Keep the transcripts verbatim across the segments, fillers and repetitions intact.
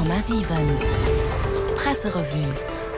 Komma siwen Presserevue.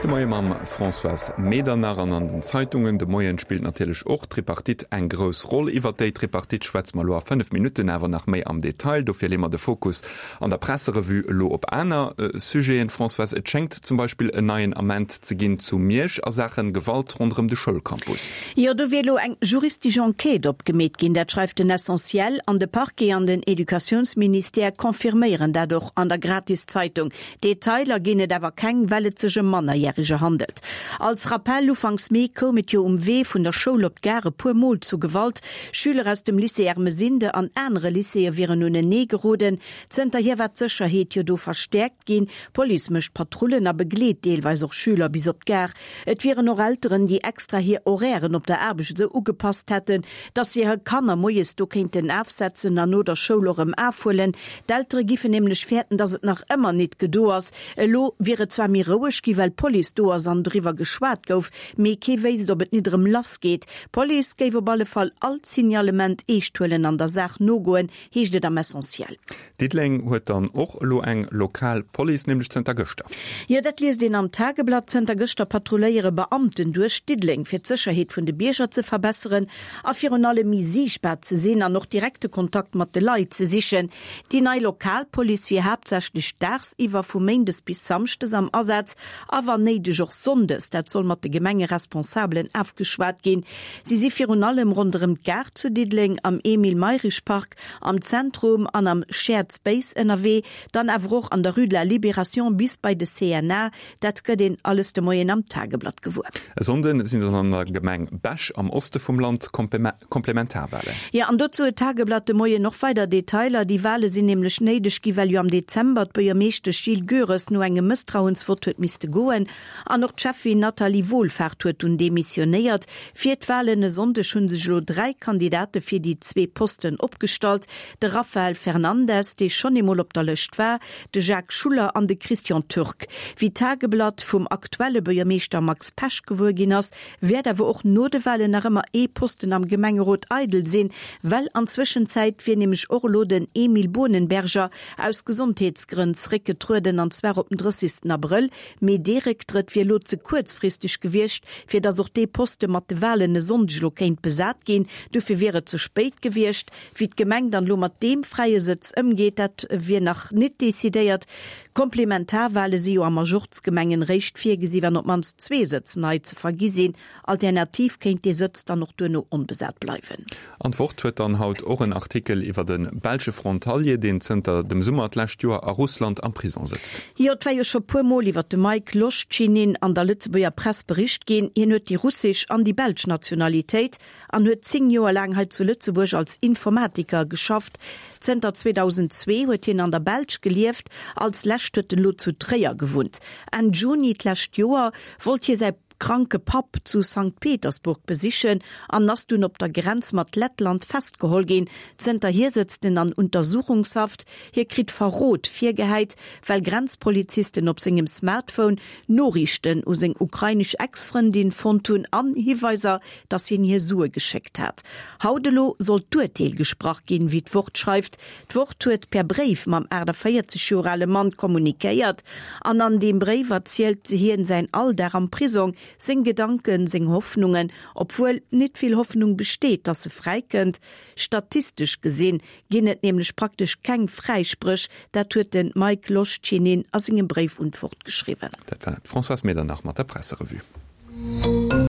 De Moie mam Françoise Medernach an an den Zeitungen de Moien spillt natierlech och d'Tripartite eng grouss Roll. Iwwer déi Tripartite schwätze mer elo a fënnef Minutten awer nach méi am Detail. Dofir leeë mer de Fokus an der Presserevue elo op aner Sujeten. Françoise, et schéngt zum Beispill en neien Ament ze ginn zu Miersch a Saache Gewalt ronderëm de Schoulcampus. Jo, do wier elo eng juristesch Enquête opgemeet ginn, dat schreift den Essentiel. An de Parquet an den Educatiounsministère confirméieren dat och an der Gratiszeitung. Detailer ginn et awer keng, well et sech ëm Mannerjäreger handelt. Als Rappell, Ufanks Mee koum et jo um Wee vun der Schoul op d'Gare e puer Mol zu Gewalt. Schüler aus dem Lycée Ermesinde an anere Lycéeë wieren unenee geroden. Zënterhier war d'Sécherheet jo do verstäerkt ginn. D'Police mécht Patrullen a begleet deelweis och Schüler bis op d'Gare. Et wieren och Elteren, déi extra hir Horairen op der Aarbecht esou ugepasst hätten, dass se hir Kanner moies do kéinten afsetzen an no der Schoul och erëm afhuelen. D'Eltere giffen nämlech fäerten, dass et nach ëmmer nit gedo ass. Elo wier et zwar méi roueg gi well d'Police do ass an driwwer geschwat gouf, mee kee wéisst, ob et nit erëm lass geet. D'Police géif op alle Fall all Signalement eescht huelen an der Saach nogoen, heescht et am Essentiel. Diddeleng huet dann och elo eng lokal Police, nämlech zënter gëschter. Jo, dat liest een am Tageblatt. Zënter gëschter patrulléiere Beamten duerch Diddeleng, fir d'Sécherheet vun de Bierger ze verbesseren a virun allem méi siichtbar ze sinn an och direkte Kontakt mat de Leit ze sichen. Déi nei lokal Police wier haaptsächlech daagsiwwer vu méindes bis samschdes am Asaz a wann néideg och sonndes. Dat soll mat de Gemengeresponsabelen afgeschwat ginn. Si si virun allem ronderëm d'Gare zu Diddeleng, am Emile Mayrisch Park, am Zentrum an am Shared Space ënnerwee, dann awer och an der Rue de la Libération bis bei de C N A. Dat gëtt een alles de Moien am Tageblatt gewuer. E Sonnde sinn dann an der Gemeng Bech am Oste vum Land Komplementarwalen. Jo, an dozou huet d'Tageblatt de Moien och weider Detailer. Déi Wale sinn nämlech néideg gi well jo am Dezember d'Buergermeeschtesch Jill Goeres no engem Mësstrauensvott huet misste goen. An och d'Schäffin Nathalie Wohlfahrt huet dunn demissionéiert. Fir d'Walen e Sonndeg hu sech elo dräi Kandidate fir déi zwee Posten opgestallt, de Rafael Fernandes, dee schonn eemol op der Lëscht war, de Jacques Schuller an de Christian Türk. Wéi d'Tageblatt vum aktuelle Buergermeeschter Max Pesch gewuer ginn ass, wäert awer och no de Walen nach ëmmer ee Posten am Gemengerot eidel sinn, well an Zwëschenzäit wier nämlech och elo den Emile Bohnenberger aus Gesondheetsgrënn zeréckgetrueden, an zwar op den drëssigsten Abrëll. Mee dee Récktrëtt wier elo ze kuerzfristeg gewiescht, fir datt och dee Poste mat de Walen e Sonndeg elo kéint besat ginn. Dofir wier et ze spéit gewiescht. Wéi d'Gemeng dann elo mat deem fräie Sëtz ëmgeet, dat wier nach nit decidéiert. Komplementarwale si jo a Majorzgemengen réischt virgesi wann op d'mannst zwee Sëtz nei ze vergi sinn. Alternativ kéint dee Sëtz dann och duerno onbesat bleiwen. An d'Wort huet dann haut och en Artikel iwwer de belsche Frontalier, deen zënter dem Summer d'lescht Joer a Russland am Prisong sëtzt. Jo, et war jo scho puer Mol iwwer de Mike Loschtschinin an der Lëtzebuerger Press bericht ginn. Hien huet déi russesch an déi belsch Nationalitéit an huet zéng Joer laang hei zu Lëtzebuerg als Informatiker geschafft. Zënter zweedausendzwee huet hien an der Belsch gelieft, als lescht huet en elo zu Tréier gewunnt. Enn Juni d'lescht Joer wollt hie säi kranke Papp zu Sankt Petersburg besichen an ass dunn op der Grenz mat Lettland festgeholl ginn. Zënterhier sëtzt en an Untersuchungshaft. Hie kritt Verrot virgehäit, well Grenzpolizisten op sengem Smartphone Noriichten u seng ukrainesch Ex-Frëndin fonnt hunn an Hiweiser, dass hien hir Sue geschéckt hat. Haut elo soll d'Urteel gesprach ginn, wéi d'Wort schreift. D'Wort huet per Bréif mam aachtavéierzeg Joer ale Mann kommunikéiert an an deem Bréif erzielt hien säin Alldag am Prisong, seng Gedanken, seng Hoffnungen, obwuel nit vill Hoffnung besteet, dass e fräikënnt. Statistesch gesinn ginn et nämlech praktesch keng Fräispréch, dat huet de Mike Loschinin a sengem Bréif un d'Wort geschriwwen. Dat war d'Françoise Medernach mat der Presserevue.